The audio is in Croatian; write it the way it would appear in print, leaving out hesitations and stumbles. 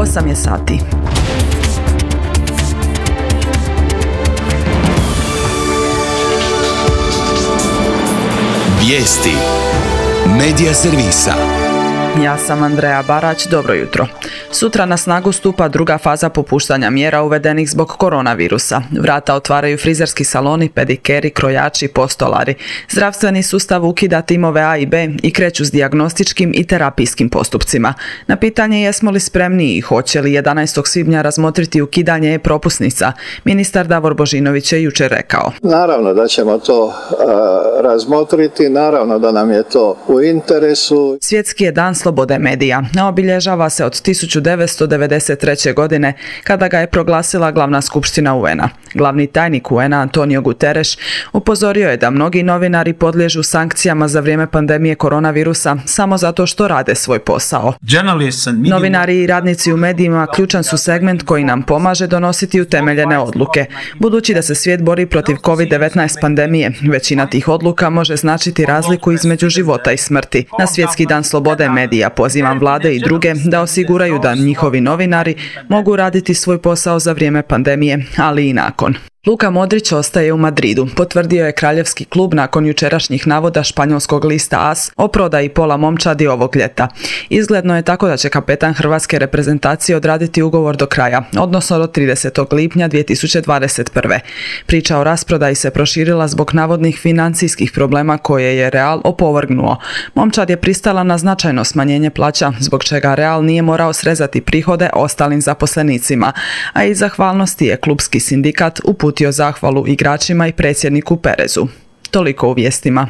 8 je sati. Vijesti Medija servisa. Ja sam Andreja Barać, dobro jutro. Sutra na snagu stupa druga faza popuštanja mjera uvedenih zbog koronavirusa. Vrata otvaraju frizerski saloni, pedikeri, krojači, postolari. Zdravstveni sustav ukida timove A i B i kreću s dijagnostičkim i terapijskim postupcima. Na pitanje jesmo li spremni i hoće li 11. svibnja razmotriti ukidanje e-propusnica, ministar Davor Božinović je jučer rekao. Naravno da ćemo to razmotriti, naravno da nam je to u interesu. Svjetski je dan slobode medija. Obilježava se od 1993. godine kada ga je proglasila glavna skupština UN-a. Glavni tajnik UN-a Antonio Guterres upozorio je da mnogi novinari podliježu sankcijama za vrijeme pandemije koronavirusa samo zato što rade svoj posao. Novinari i radnici u medijima ključan su segment koji nam pomaže donositi utemeljene odluke. Budući da se svijet bori protiv COVID-19 pandemije, većina tih odluka može značiti razliku između života i smrti. Na Svjetski dan slobode medija pozivam vlade i druge da osiguraju da njihovi novinari mogu raditi svoj posao za vrijeme pandemije, ali i nakon. Luka Modrić ostaje u Madridu, potvrdio je kraljevski klub nakon jučerašnjih navoda španjolskog lista AS o prodaji pola momčadi ovog ljeta. Izgledno je tako da će kapetan hrvatske reprezentacije odraditi ugovor do kraja, odnosno do 30. lipnja 2021. Priča o rasprodaji se proširila zbog navodnih financijskih problema koje je Real opovrgnuo. Momčad je pristala na značajno smanjenje plaća, zbog čega Real nije morao srezati prihode ostalim zaposlenicima, a iz zahvalnosti je klubski sindikat uputio zahvalu igračima i predsjedniku Perezu. Toliko u vijestima.